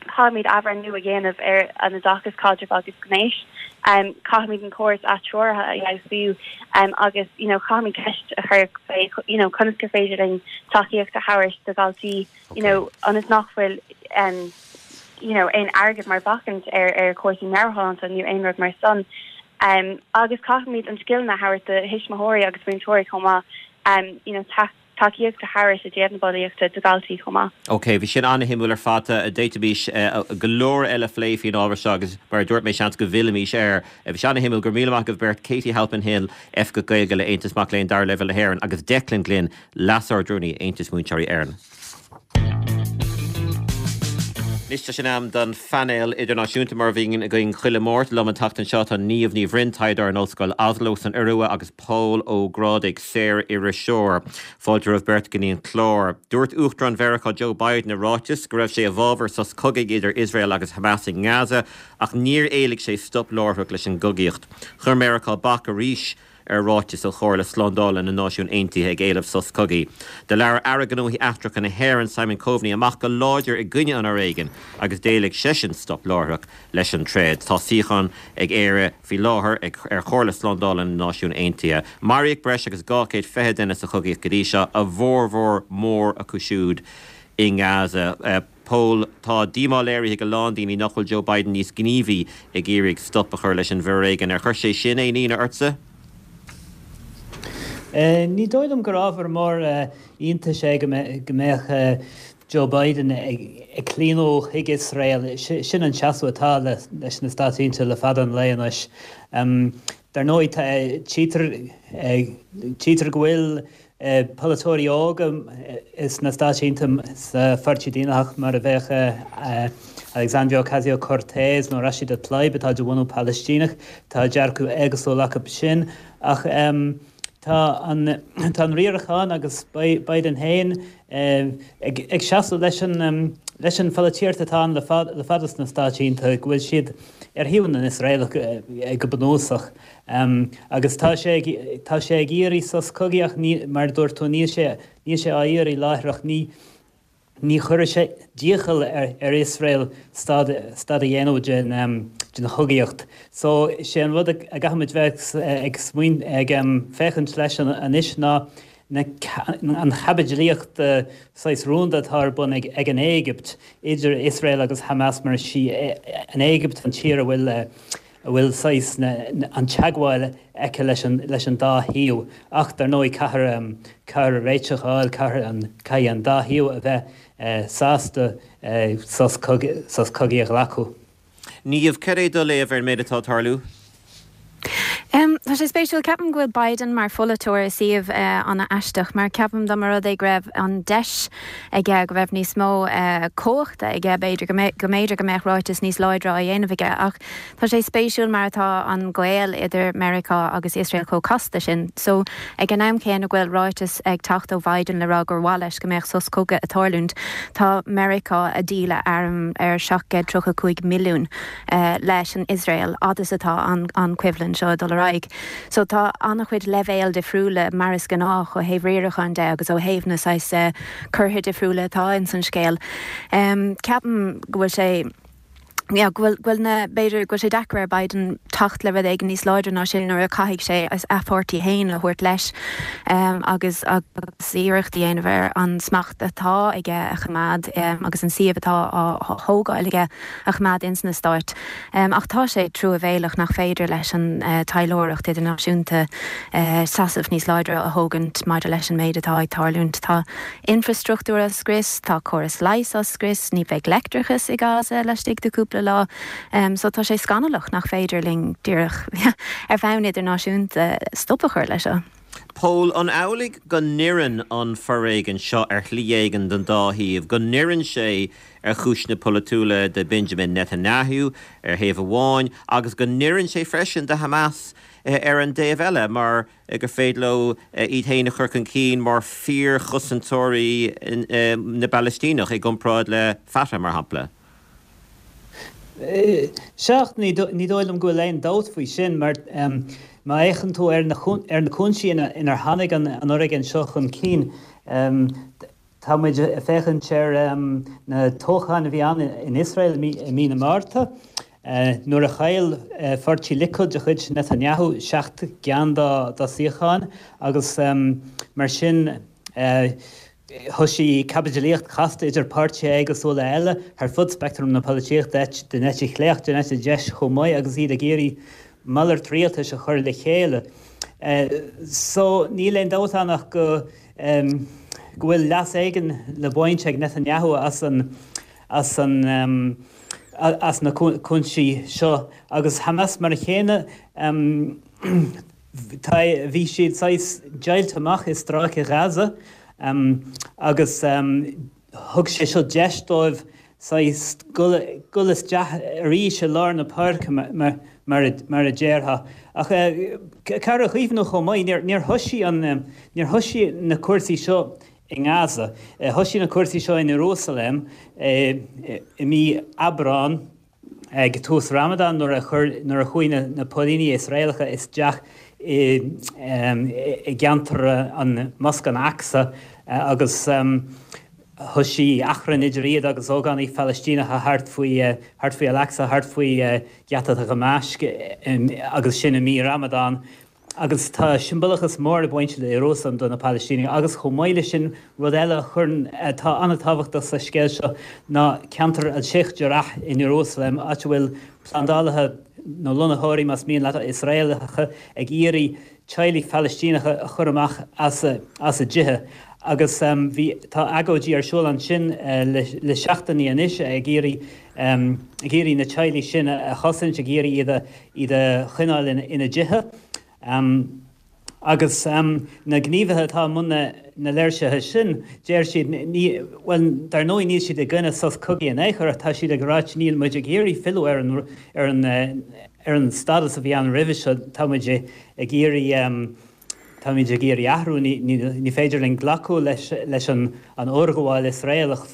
caithfimid athbhreithniú a dhéanamh ar an oideachas caidrimh agus gnéis. Um, caithfimid an córas atreoraithe a fheabhsú um, agus you know, caithfimid ceist a chur fé you know, conas gur féidir linn tacaíocht a thabhairt do dhaltaí you know, ionas nach bhfuil um, you know, aon airgead mar bhacainn ar ar cúrsaí meabhairshláinte nó aon rud mar san. Um, agus caithfimid an scileanna a thabhairt do thuismitheoirí agus múinteoirí chomh maith um, you know, tacaíocht a thabhairt i dtaobh na bulaíochta do dhaltaí chomh maith. Ok, bhí sin an-shuimiúil ar fad d'fhéadfaimis go leor eile a phlé faoin ábhar seo agus mar a dúirt mé seans go bhfillfimis air. Bhí sé an-shuimiúil go raibh míle maith agaibh beirt Katie Halpin Hill, Oifigeach Gaeilge le Aontas Mac Léinn Dara Leibhéal na hÉireann agus Declan Glynn, Leas-Ardrúnaí Aontas Múinteoirí Éireann. Anois tá sé in am don phainéal idirnáisiúnta mar a bhíonn againn chuile Mháirt liom an tseachtain seo tá Niamh Ní Bhroin, taighdeoir in Ollscoil Oslo san Iorua agus Pól Ó Grádaigh, saoririseoir. Fáilte romhaibh beirt go dtí an clár. Dúirt Uachtarán Mheiriceá Joe Biden i ráiteas go raibh sé i bhfabhar sos cogaidh idir Iosrael agus Hamas i nGaza ach níor éiligh sé stop láithreach leis an gcogaíocht. Chuir Meiriceá bac arís ar ráiteas ó Chomhairle Slándála na Náisiún Aontaithe ag éileamh sos cogaidh. Do labhair Aire Gnóthaí Eachtracha na hÉireann Simon Coveney amach go láidir i gcoinne an fhoréigin agus d'éiligh seisean stop láithreach leis an troid. Tá suíochán ag Éire faoi láthair ar Chomhairle Slándála na Náisiún Aontaithe. Maraíodh breis agus dhá chéad fiche duine sa chogaíocht go dtí seo a bhformhór mór acu siúd i nGaza. Pól, tá díomá léirithe ag a lán daoine nach bhfuil Joe Biden níos gníomhaí ag iarraidh stop a chur leis an bhforéigean. Ar chuir sé sin aon ionadh ortsa? Ní dóigh liom gur ábhar mór iontais é go mbeadh Joe Biden ag claonadh chuig Iosrael. Sin an seasamh atá leis na Stáit Aontaithe le fada an lae anois. Dar ndóigh, tchítear go bhfuil polaiteoirí óga sna Stáit Aontaithe sa Pháirtí Daonlathach mar a bheadh Alexandria Ocasio-Cortez nó Rashida Tlaib atá de bhunadh Palaistíneach, tá dearcadh éagsúil acu sin. Ach tá an tá an riarachán agus Biden féin ag seasamh leis an leis an pholaitíocht atá ann le le fada sna Stáit Aontaithe, go bhfuil siad ar thaobh na nIosraelach go bunúsach. Agus tá sé tá sé ag iarraidh sos cogaidh ach ní, mar a dúirt tú, níl sé níl sé á iarraidh láithreach. Ní ní chuirfidh sé d'iachall ar ar Iosrael stad stad a dhéanamh den den chogaíocht. So sé an rud a gcaithfimid bheith ag smaoin ag féachaint leis anois ná na an chaibidlíocht saghas rúnda atá ar bun ag ag an Éigipt idir Iosrael agus Hamas mar is í an Éigipt an tír a bhfuil a bhfuil saghas an teagmháil aici leis an leis an dá thaobh. Ach dar ndóigh caithfear caithfear réiteach a fháil, caithfear an caithfidh an dá thaobh a bheith sásta sos sos cogaidh a ghlacadh. Niamh, cad é do léamh ar an méid atá ag tarlú? Tá sé spéisiúil, ceapaim go bhfuil Biden mar pholaiteoir i suíomh an-aisteach mar ceapaim dá mba rud é go raibh an deis aige go raibh níos mó cumhachta aige b'fhéidir go mb'fhéidir go mbeadh ráiteas níos láidre á dhéanamh aige ach tá sé spéisiúil mar atá an gaol idir Meiriceá agus Iosrael chomh casta sin. So ag an am céanna go bhfuil ráiteas ag teacht ó Biden le rá gur mhaith leis go mbeadh sos cogaidh ag tarlúint tá Meiriceá ag díol arm ar seacht gcéad tríocha cúig milliún leis an Iosrael fhad is atá an an choimhlint seo ag dul ar aghaidh. So tá an-chuid leibhéal difriúla mar is gnách ó thaobh riaracháin de agus ó thaobh na saghas cortha difriúla atá ins an scéal. Ceapaim go bhfuil sé yeah, go bhfuil go bhfuil na b'fhéidir go bhfuil sé deacair ar Biden teacht le rud éigin níos láidre ná sin nuair a caithfidh sé a pháirtí féin a thabhairt leis um, agus agus iarracht a dhéanamh ar an smacht atá aige a choimeád um, agus an suíomh atá á thógáil aige a choimeád ins na Stáit. Um, ach tá sé truamhéalach nach féidir leis an uh, taidhleoireacht idirnáisiúnta uh, seasamh níos láidre a thógaint maidir leis an méid atá ag tarlúint. Tá infrastruchtúr á scrios, tá córas leighis á scrios, ní bheidh leictreachas i Gaza laistigh de cúpla lá. Um, so tá sé scannalach nach féidir linn díreach ar bhonn idirnáisiúnta stop a chur leis seo. Pól, an amhlaidh go n-oireann an foréigean seo ar shlí éigin don dá thaobh, go n-oireann sé ar chúiseanna polaitiúla do Benjamin Netanyahu ar thaobh amháin agus go n-oireann sé freisin do Hamas ar an dtaobh eile mar gur féidir leo iad féin a chur chun cinn mar fíorchosantóirí na bPalaistíneach i gcomparáid le Fatah mar shampla? Sea, ní dóigh liom go bhfuil aon dabht faoi sin mar má fhéachann tú ar na ar na cúinsí inar tháinig an fhoréigean seo chun cinn, tá muid ag féachaint ar na toghcháin a bhí ann in Iosrael i mí na Márta, nuair a chaill pháirtí Likud de chuid Netanyahu seacht gceann dá suíocháin agus mar sin Thosaigh caibidlíocht chasta idir páirtithe éagsúla eile thar fud speictream na polaitíochta, den eite chlé ach den eite dheis chomh maith, agus iad ag iarraidh malairt rialtais a chur le chéile. So níl aon dabht ann ach go go bhfuil leas éigin le baint ag Netanyahu as an as an as na cúinsí seo agus Hamas mar a chéanna tá bhí siad saghas deighilte amach i Stráice Ghaza agus thug sé seo deis dóibh saghas dul isteach arís i lár na páirce mar a déarfá. Ach caithfear a chuimhniú chomh maith, níor thosaigh an níor thosaigh na cúrsaí seo i nGaza. Thosaigh na cúrsaí seo in Iarúsailéim i mí Aibreán ag tús Ramadan nuair a chuir nuair a chuaigh na póilíní Iosraelacha isteach i i gceantar an Mosc an Aqsa agus thosaigh achrann idir iad agus ógánaigh Phalaistíneacha thart faoi thart faoi Al-Aqsa, thart faoi Gheata Dhamaisc agus sin i mí Ramadan. Agus tá siombalachas mór ag baint le Iarúsailéim do na Palaistínigh agus chomh maith leis sin rud eile a chuireann atá an-tábhachtach sa scéal seo ná ceantar Al-Sheikh Jarrah in Iarúsailéim, áit a bhfuil plandálaithe nó lonnaitheoirí más mian leat Iosraelacha ag iarraidh teaghlaigh Phalaistíneacha a chur amach as a as a dtithe agus bhí tá agóidí ar siúl ansin le le seachtainí anois ag iarraidh ag iarraidh na teaghlaigh sin a chosaint, ag iarraidh iad a iad a choinneáil ina ina dtithe. Agus na gníomhaithe atá i mbun na léirsithe sin, deir siad, bhuel, dar ndóigh níl siad i gcoinne sos cogaidh in aon chor ach tá siad ag ráit níl muid ag iarraidh filleadh ar an ar an ar an stádas a bhí ann roimhe seo, tá muid ag iarraidh táimid ag iarraidh athrú, ní ní féidir linn glacadh leis leis an an fhorghabháil Iosraelach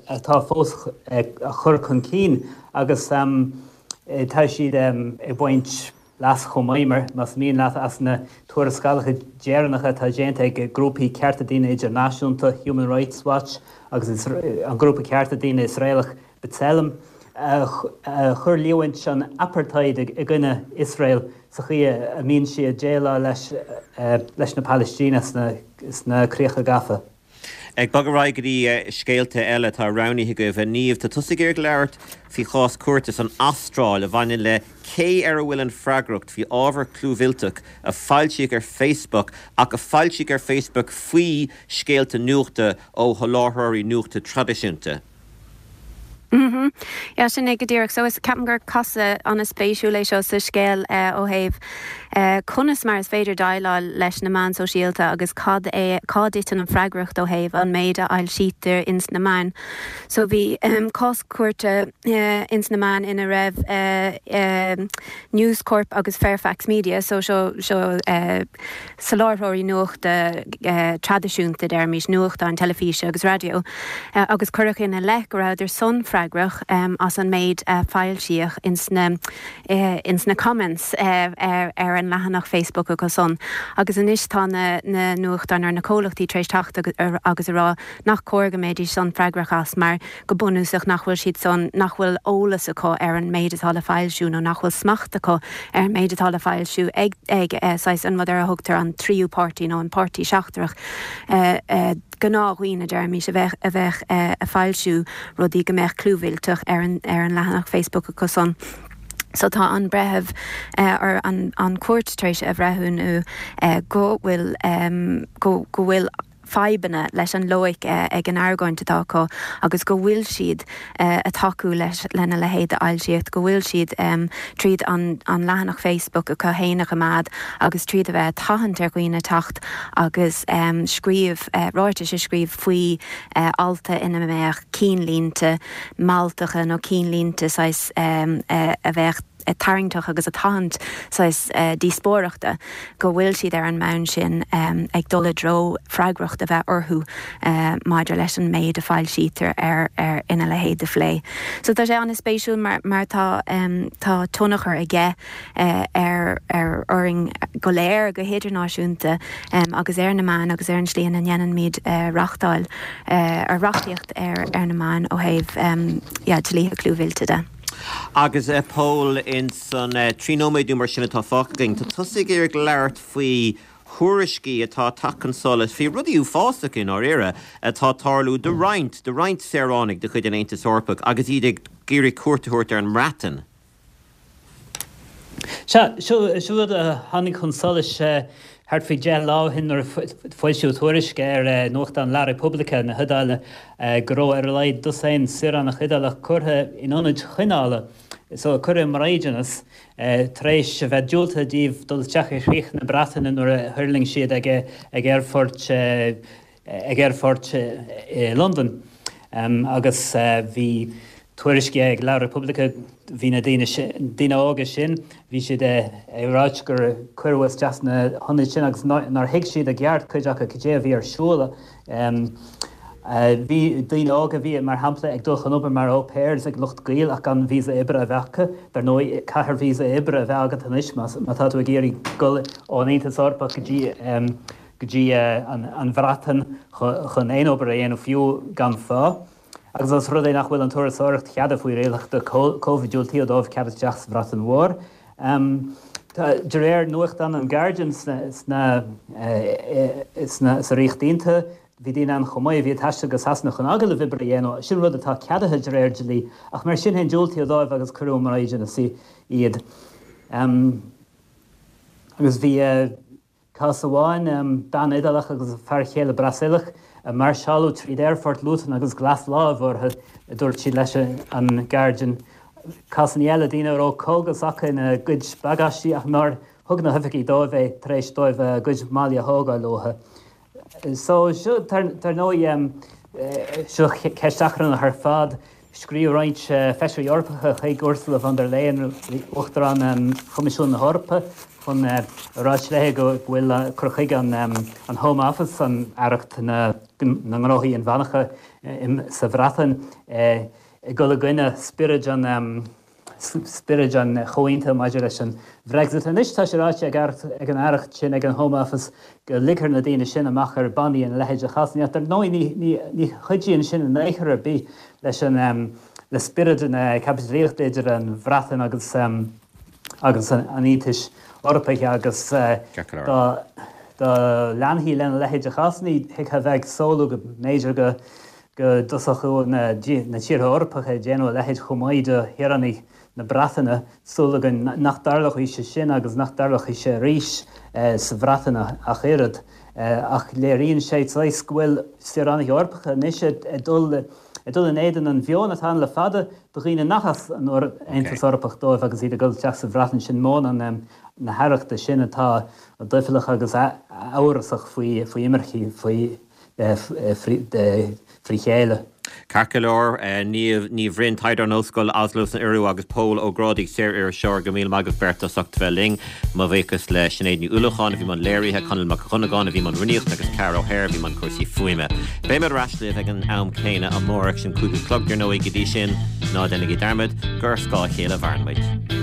atá fós á chur chun cinn agus tá siad ag baint leas chomh maith, mar más mian leat, as na tuarascálacha deireanacha atá déanta ag grúpaí cearta daonna idirnáisiúnta, Human Rights Watch agus an grúpa cearta daonna Iosraelach B'Tselem, a chuir líomhaint an apartheid i gcoinne Iosrael sa chaoi a mbíonn sí ag déileáil leis na Palaistínigh sna Críocha Gafa. Ag bogadh ar aghaidh go dtí scéalta eile atá roghnaithe agaibh. A Niamh, tá tusa ag iarraidh labhairt faoi chás cúirte san Astráil a bhaineann le cé ar a bhfuil an freagracht faoi ábhar clúmhillteach a foilsíodh ar Facebook ach a foilsíodh ar Facebook faoi scéalta nuachta ó sholáthróirí nuachta traidisiúnta. Mhm. Yeah, sin é go díreach. So is ceapaim gur casadh an-spéisiúil é seo sa scéal ó thaobh conas mar is féidir déileáil leis na meáin sóisialta agus cad é cá dtiteann an freagracht ó thaobh an méid a fhoilsítear ins na meáin. So bhí cás cúirte ins na meáin ina raibh News Corp agus Fairfax Media, so seo seo soláthróirí nuachta traidisiúnta, deirimis, nuachtáin teilifíse agus raidió, agus cuireadh ina leith go rabhadar san freagrach as an méid a foilsíodh ins na ins na comments ar ar an leathanach Facebook acu san. Agus anois tá na na nuachtáin ar na comhlachtaí tar éis teacht agus a rá nach cóir go mbeidís san freagrach as mar go bunúsach nach bhfuil siad san nach bhfuil eolas acu ar an méid atá le foilsiú nó nach bhfuil smacht acu ar an méid atá le foilsiú ag ag saghas an rud ar a thugtar an tríú páirtí nó an páirtí seachtrach gnáthdhaoine deirimis a bheith a bheith ag foilsiú rudaí go mbeadh clúmhillteach ar an ar an leathanach Facebook acu san. So tá an breitheamh or an an cúirt tar éis a bhreithiúnú go bhfuil go go bhfuil fadhbanna leis an loighic ag an argóint atá acu agus go bhfuil siad ag tacú leis lena leithéid d'fhoilsíocht, go bhfuil siad tríd an an leathanach Facebook acu féin a choimeád agus tríd a bheith ag tathant ar dhaoine teacht agus scríobh ráitis a scríobh faoi alta ina mbeadh cinnlínte mealltacha nó cinnlínte saghas a bheadh tarraingteach agus ag tathant saghas díospóireachta go bhfuil siad ar an mbonn sin ag dul i dtreo freagracht a bheith orthu maidir leis an méid a foilsítear ar ar ina leithéid de phlé. So tá sé an-spéisiúil mar mar tá tá tionchar aige ar ar orainn go léir go hidirnáisiúnta agus ar na meáin agus ar an slí ina ndéanaimid reachtáil ar reachtaíocht ar ar na meáin ó thaobh yeah dlíthe clúmhillte de. Agus a Pól in san trí nóiméad nó mar sin atá fágtha againn, tá tusa ag iarraidh labhairt faoi thuairiscí atá ag teacht chun solais faoi rudaí uafásacha i ndáiríre atá ag tarlú do roinnt, do roinnt saoránaigh de chuid an Aontais Eorpaigh agus iad ag iarraidh cuairt a thabhairt ar an mBreatain. Sea, seo rud a tháinig chun solais thart faoi deich lá ó shin nuair a foilsíodh tuairisc ar nuachtán La Repubblica na hIodáile go raibh ar a laghad dosaen saoránach Iodálach curtha in ionaid choinneála, so curtha i mbraighdeanas, tar éis a bheith diúltaithe díobh dul isteach i gcríoch na Breataine nuair a thuirling siad ag aerfort ag aerfort i Londain. Agus bhí tuairiscí ag La Repubblica, bhí na daoine daoine óga sin, bhí siad ag ráit gur cuireadh isteach sna hionaid sin agus nár thuig siad i gceart, cuid acu, cad é a bhí ar siúl. Bhí daoine óga a bhí, mar shampla, ag dul chun obair mar au pairs ag lucht gaoil ach gan víosa oibre a bheith acu. Dar ndóigh, caithfear víosa oibre a bheith agat anois má tá tú ag iarraidh dul ón Aontas Eorpach go dtí go dtí an Bhreatain chun aon obair a dhéanamh, fiú gan phá. Agus os rud é nach bhfuil an turasóireacht ceadaithe faoi rialacha Covid, diúltaíodh dóibh cead isteach sa Bhreatain Mhór. De réir nuachtán an Guardian sna sa Ríocht Aontaithe, bhí daoine ann chomh maith a bhí ag taisteal go Sasana chun agallamh oibre a dhéanamh, sin rud atá ceadaithe de réir dlí, ach mar sin féin diúltaíodh dóibh agus cuireadh i mbraighdeanas iad. Agus bhí. Cás amháin, bean Iodálach agus a fear chéile Brasaíleach a máirseáladh tríd aerfort Luton agus glas láimh orthu, a dúirt siad leis an Guardian. Cásanna eile, daoine a raibh cógas acu ina gcuid bagáistí ach nár thug na hoifigigh dóibh é tar éis dóibh a gcuid málaí a thógáil uathu. So, seo, dar ndóigh, seo ceist achrannach ar fad. Scríobh roinnt feisirí Eorpacha chuig Ursula von der Leyen, Uachtarán Choimisiún na hEorpa, chun a ráit léi go bhfuil cur chuige an Home Office, an Aireacht na nGnóthaí Inmheánacha sa Bhreatain, ag dul i gcoinne spiorad an spiorad an chomhaontaithe maidir leis an Bhrexit. Anois tá sé ráite ag an aireacht sin, ag an Home Office, go ligfear na daoine sin amach ar bannaí ina leithéid de chásanna. Ach dar ndóigh ní chuidíonn sin in aon chor ar bith leis an le spiorad na caibidlíochta idir an Bhreatain agus agus an Aontais Eorpaigh agus dá dá leanfaí lena leithéid de chásanna thiocfadh a bheith ag samhlú go mb'fhéidir go go dtosódh na tíortha Eorpacha ag déanamh a leithéid chomh maith do shaoránaigh na Breataine. Súil againn nach dtarlóidh sé sin agus nach dtarlóidh sé arís sa Bhreatain ach oiread. Ach léiríonn sé saghas go bhfuil saoránaigh Eorpacha anois ag dul ag dul in éadan an mheoin atá ann le fada do dhaoine nach as an Aontas Eorpach dóibh agus iad ag dul isteach sa Bhreatain. Sin meon na haireachta sin atá doicheallach agus amhrasach faoi imircigh, faoi frí chéile. Ceart go leor, Niamh Ní Bhroin, taighdeoir in Ollscoil Oslo san Iorua agus Pól Ó Grádaigh, saor-iriseoir, go míle maith agaibh beirt as ucht a bheith linn. Mo bhuíochas le Sinéad Ní Uallacháin a bhí i mbun léirithe, Conall Mac Dhonnagáin a bhí i mbun rúnaíochta agus Ceara O'Hare a bhí i mbun cúrsaí fuaime. Beidh muid ar ais libh ag an am céanna amárach, sin cúig a chlog, dar ndóigh. Go dtí sin, ná déanaigí dearmad gur ar scáth a chéile a mhaireann muid.